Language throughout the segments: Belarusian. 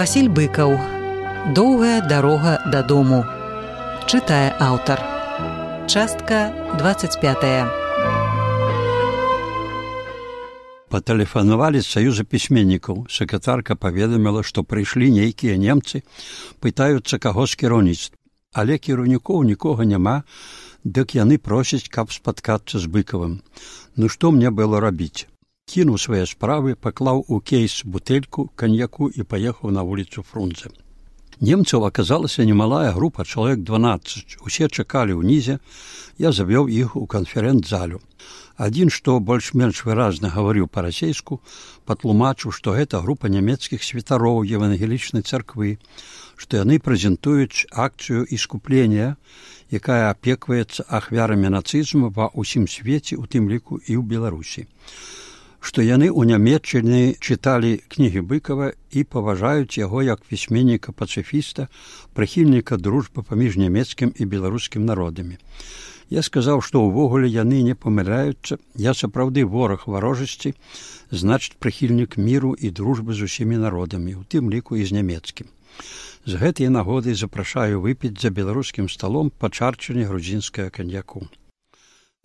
Васіль Быкаў. Доўгая дарога дадому. Чытае аўтар. Частка 25. Патэлефанавалі з саюза пісьменнікаў. Сакратарка паведаміла, што прыйшлі нейкія немцы, пытаюцца каго з кіраўніцтва. Але кіраўнікоў нікога няма, дык яны просяць, каб спаткацца з Быкавым. Ну што мне было рабіць? Кінуў свае справы, паклаў у кейс бутэльку каньяку і паехаў на вуліцу Фрунзе. Немцаў аказалася немалая група, чалавек 12. Усе чакалі ўнізе, я завёў іх у канферэнц-залю. Адзін, што больш-менш выразна гаварыў па-расейску, патлумачыў, што гэта група нямецкіх святароў евангелічнай царквы, што яны прэзентуюць акцыю іскуплення, якая апекваецца ахвярамі нацызму ва ўсім свеце, у тым ліку і ў Беларусі. Што яны ў Нямецчыне чыталі кнігі Быкава і паважаюць яго як пісьменніка-пацыфіста, прыхільніка дружбы паміж нямецкім і беларускім народамі. Я сказаў, што ўвогуле яны не памыляюцца, я сапраўды вораг варожасці, значыць прыхільнік міру і дружбы з усімі народамі, у тым ліку і з нямецкім. З гэтай нагоды запрашаю выпіць за беларускім сталом па чарчыне грузінскага каньяку.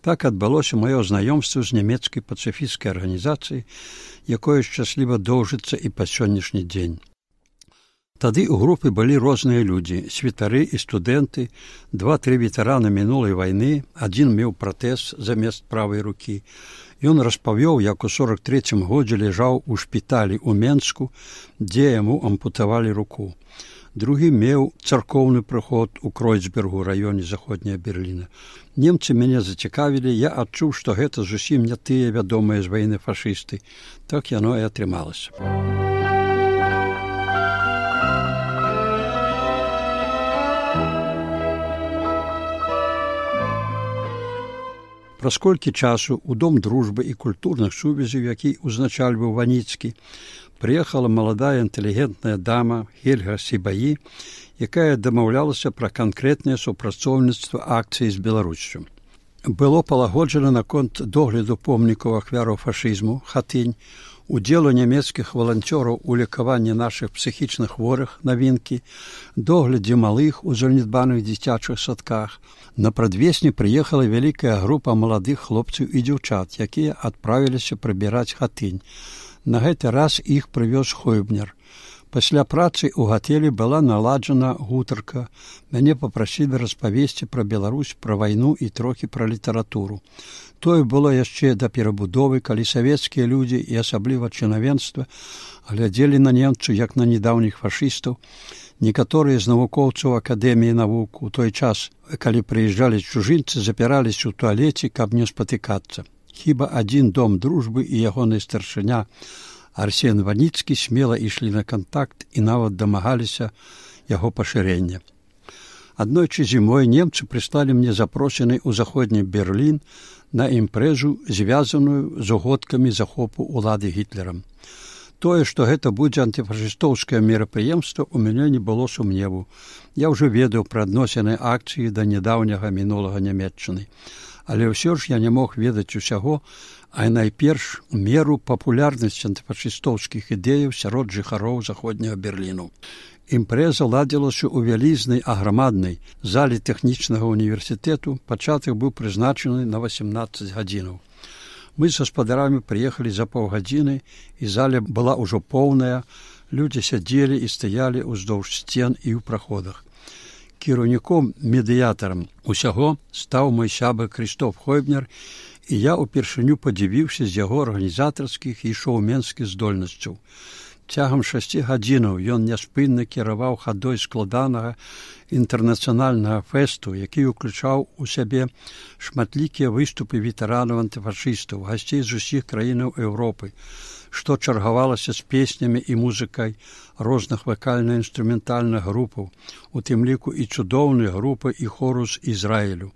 Так адбылося маё знаёмства з нямецкай пацыфісцкай арганізацыяй, якое шчасліва доўжыцца і па сённяшні дзень. Тады ў групе былі розныя людзі, святары і студэнты, 2-3 ветэраны мінулай вайны, адзін меў пратэз замест правай рукі. Ён распавёў, як у 43-м годзе ляжаў у шпіталі ў Менску, дзе яму ампутавалі руку. Другі меў царкоўны прыход у Кройцбергу, раёне заходняя Берліна. Немцы мяне зацікавілі, я адчуў, што гэта зусім не тыя вядомыя з вайны фашысты. Так яно і атрымалася. Праз колькі часу ў Дом дружбы і культурных сувязяў, які узначальваў Ваніцкі, прыехала маладая інтэлігентная дама Хельга Сібаі, якая дамаўлялася пра канкрэтнае супрацоўніцтва акцыі з Беларуссю. Было палагоджана наконт догляду помнікаў ахвяраў фашызму, хатынь, удзелу нямецкіх валанцёраў у лекаванні нашых псіхічных хворых, навінкі, доглядзе малых у занядбаных дзіцячых садках. На прадвесні прыехала вялікая група маладых хлопцаў і дзяўчат, якія адправіліся прыбіраць хатынь. На гэты раз іх прывёз Хойбнер. Пасля працы ў гатэлі была наладжана гутарка. Мяне папрасілі распавесці пра Беларусь, пра вайну і трохі пра літаратуру. Тое было яшчэ да перабудовы, калі савецкія людзі і асабліва чынавенства глядзелі на немцаў як на недаўніх фашыстаў. Некаторыя з навукоўцаў Акадэміі навук у той час, калі прыязджалі чужынцы, запіраліся ў туалеце, каб не спатыкацца. Хіба адзін Дом дружбы і ягоны старшыня Арсен Ваніцкі смела ішлі на кантакт і нават дамагаліся яго пашырення. Аднойчы зімой немцы прыслалі мне запрошаны ў заходні Берлін на імпрэзу, звязаную з угодкамі захопу ўлады Гітлерам. Тое, што гэта будзе антыфашыстоўскае мерапрыемства, у мяне не было сумневу. Я ўжо ведаў пра адносіны акцыі да нядаўняга мінулага Нямецчыны. Але ўсё ж я не мог ведаць усяго, а найперш меру папулярнасці антыфашыстоўскіх ідэяў сярод жыхароў заходняга Берліну. Імпрэза ладзілася ў вялізнай аграмаднай зале тэхнічнага універсітэту, пачатак быў прызначаны на 18 гадзінаў. Мы з гаспадарамі прыехалі за паўгадзіны, і заля была ўжо поўная, людзі сядзелі і стаялі ўздоўж сцен і ў праходах. Кіраўніком-медыятарам усяго стаў мой сябар Крыштоф Хойбнер, і я ўпершыню падзівіўся з яго арганізатарскіх і шоуменскіх здольнасцяў. Цягам 6 гадзінаў ён няспынна кіраваў хадой складанага інтэрнацыянальнага фэсту, які ўключаў у сябе шматлікія выступы ветэранаў антыфашыстаў, гасцей з усіх краінаў Еўропы, што чаргавалася з песнямі і музыкай розных вакальна-інструментальных групаў, у тым ліку і цудоўнай групы і хору з Ізраілю.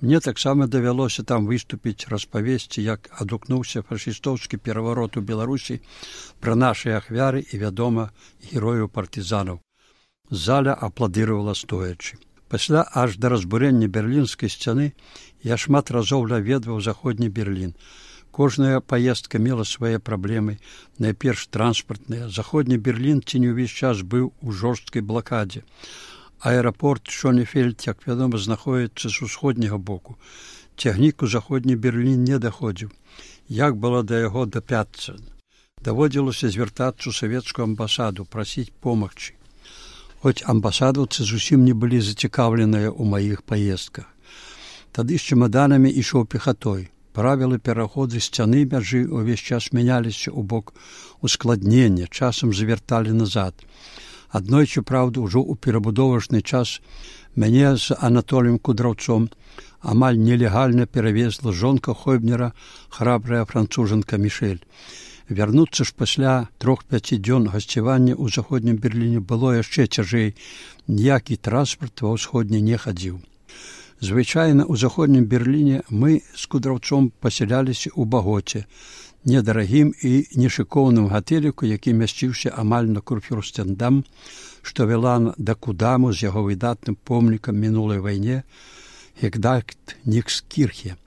Мне таксама давялося там выступіць, распавесці, як адгукнуўся фашыстоўскі пераварот у Беларусі, пра нашы ахвяры і, вядома, герояў-партызанаў. Заля апладыравала стоячы. Пасля аж да разбурэння берлінскай сцяны я шмат разоў наведваў заходні Берлін. Кожная паездка мела свае праблемы, найперш транспартныя. Заходні Берлін ці не ўвесь час быў у жорсткай блакадзе. Аэрапорт Шонефельд, як вядома, знаходзіцца з усходняга боку. Цягнік у заходні Берлін не даходзіў. Як было да яго дапяцца? Даводзілася звяртацца ў савецкую амбасаду, прасіць помагчы. Хоць амбасадаўцы зусім не былі зацікаўленыя ў маіх паездках. Тады з чемаданамі ішоў пехатой. Правілы пераходу сцяны мяжы ўвесь час мяняліся ў бок ускладнення, часам завярталі назад. Аднойчы, праўда, ужо ў перабудовачны час мяне з Анатоліем Кудраўцом амаль нелегальна перавезла жонка Хойбнера, храбрая францужанка Мішэль. Вярнуцца ж пасля 3-5 дзён гасцявання ў заходнім Берліне было яшчэ цяжэй. Ніякі транспарт ва ўсходні не хадзіў. Звычайна ў заходнім Берліне мы з Кудраўцом пасяляліся ў Багоце, недарагім і нешыкоўным гатэліку, які мясціўся амаль на Курфюрстендам, што вяла да Кудаму з яго выдатным помнікам мінулай вайне Гегдальт Нікскірхе.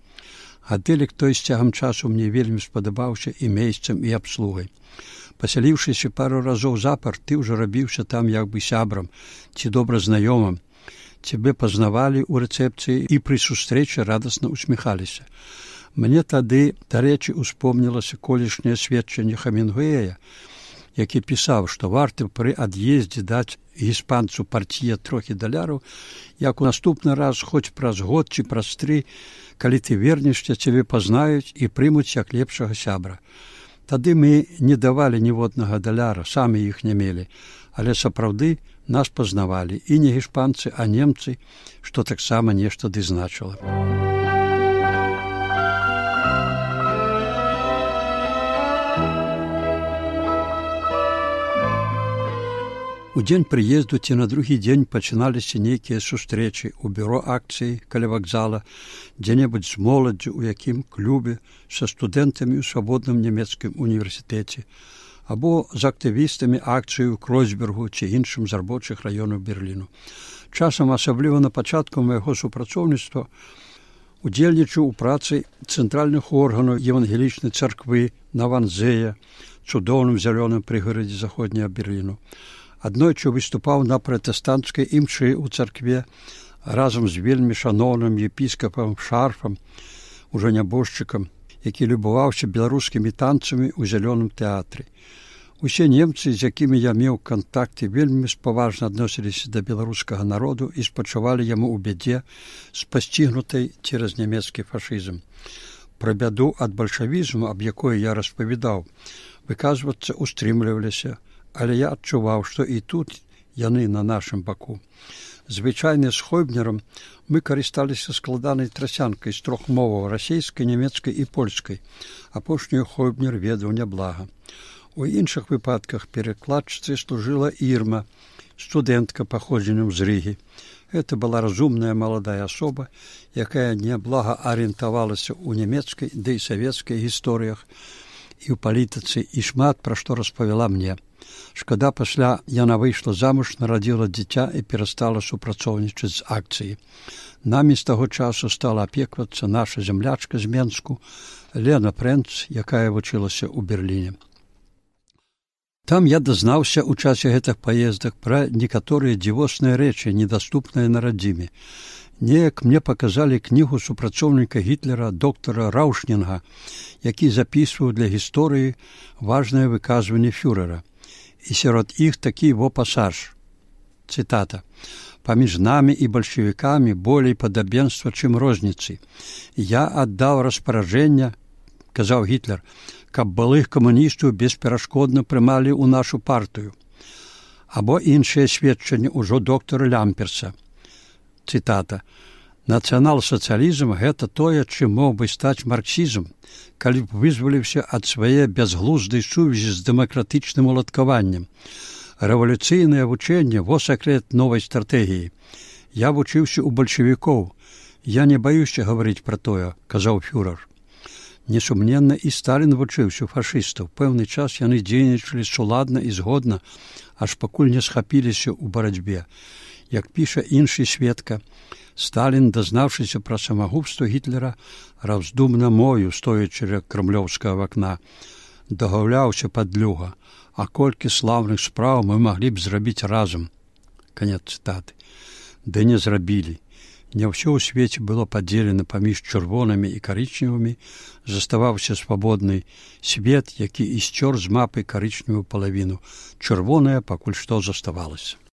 Гатэлік той з цягам часу мне вельмі спадабаўся і месцам, і абслугай. Пасяліўшыся пару разоў запар, ты ўжо рабіўся там як бы сябрам ці добра знаёмым. Цябе пазнавалі ў рэцэпцыі і пры сустрэчы радасна усміхаліся. Мне тады, дарэчы, успомнілася колішняе сведчанне Хемінгуэя, які пісаў, што варта пры ад'ездзе даць іспанцу партія трохі даляраў, як у наступны раз, хоць праз год ці праз 3, калі ты вернешся, цябе пазнаюць і прымуць як лепшага сябра. Тады мы не давалі ніводнага даляра, самі іх не мелі, але сапраўды нас пазнавалі і не іспанцы, а немцы, што таксама нешта ды значыла. У дзень прыезду ці на другі дзень пачыналіся нейкія сустрэчы ў бюро акцыі каля вакзала, дзе-небудзь з моладдзю, у якім клубе, са студэнтамі ў свабодным нямецкім універсітэце, або з актывістамі акцыі ў Кройцбергу ці іншым з рабочых раёнаў Берліну. Часам, асабліва на пачатку майго супрацоўніцтва, удзельнічаў у працы цэнтральных органаў евангелічнай царквы на Ванзея, цудоўным зялёным прыгарадзе заходняга Берліну. Аднойчы выступаў на пратэстанцкай імшы ў царкве разам з вельмі шаноўным епіскапам Шарфам, ужо нябожчыкам, які любаваўся беларускімі танцамі ў зялёным тэатры. Усе немцы, з якімі я меў кантакты, вельмі спаважна адносіліся да беларускага народу і спачувалі яму ў бядзе, спасцігнутай цераз нямецкі фашызм. Пра бяду ад бальшавізму, аб якой я распавядаў, выказвацца устрымліваліся, але я адчуваў, што і тут яны на нашым баку. Звычайна з Хойбнерам мы карысталіся складанай трасянкай з 3 моваў – расейскай, нямецкай і польскай. Апошнюю Хойбнер ведаў няблага. У іншых выпадках перакладчыцай служыла Ірма, студэнтка паходзеннем з Рыгі. Гэта была разумная маладая асоба, якая няблага арыентавалася ў нямецкай, ды і савецкай гісторыях і ў палітыцы, і шмат пра што распавяла мне. Шкада, пасля яна выйшла замуж, нарадзіла дзіця і перастала супрацоўнічаць з акцыяй. Намі з таго часу стала апеквацца наша зямлячка з Менску, Лена Прэнц, якая вучылася ў Берліне. Там я дазнаўся ў часе гэтых паездак пра некаторыя дзівосныя рэчы, недаступныя на радзіме. Неяк мне паказалі кнігу супрацоўніка Гітлера доктара Раушнінга, які запісваў для гісторыі важнае выказванне фюрэра. І сярод іх такі пасаж. Цытата. «Паміж намі і бальшавікамі болей падабенства, чым розніцы. Я аддаў распараджэнне, — казаў Гітлер, — каб былых камуністаў бесперашкодна прымалі ў нашу партыю». Або іншае сведчанне ўжо доктара Лямперса. Цытата. «Нацыянал-сацыялізм — гэта тое, чым мог бы стаць марксізм, калі б вызваліўся ад свае бязглуздай сувязі з дэмакратычным уладкаваннем. Рэвалюцыйнае вучэнне — во сакрэт новай стратэгіі. Я вучыўся ў бальшавікоў. Я не баюся гаварыць пра тое», — казаў фюрэр. Несумненна, і Сталін вучыўся ў фашыстаў. Пэўны час яны дзейнічалі суладна і згодна, аж пакуль не схапіліся ў барацьбе. Як піша іншы сведка, Сталін, дазнавшыся пра самагубства Гітлера, раздумна мою, стоячы ля крамлёўскага вакна, дагаўляўся падлюга, а колькі слаўных спраў мы маглі б зрабіць разам. Канец цытаты. Ды не зрабілі. Не ўсё ў свеце было падзелена паміж чырвонымі і карычневымі, заставаўся свабодны свет, які і сцёр з мапы карычневую палавіну. Чырвоная пакуль што заставалася.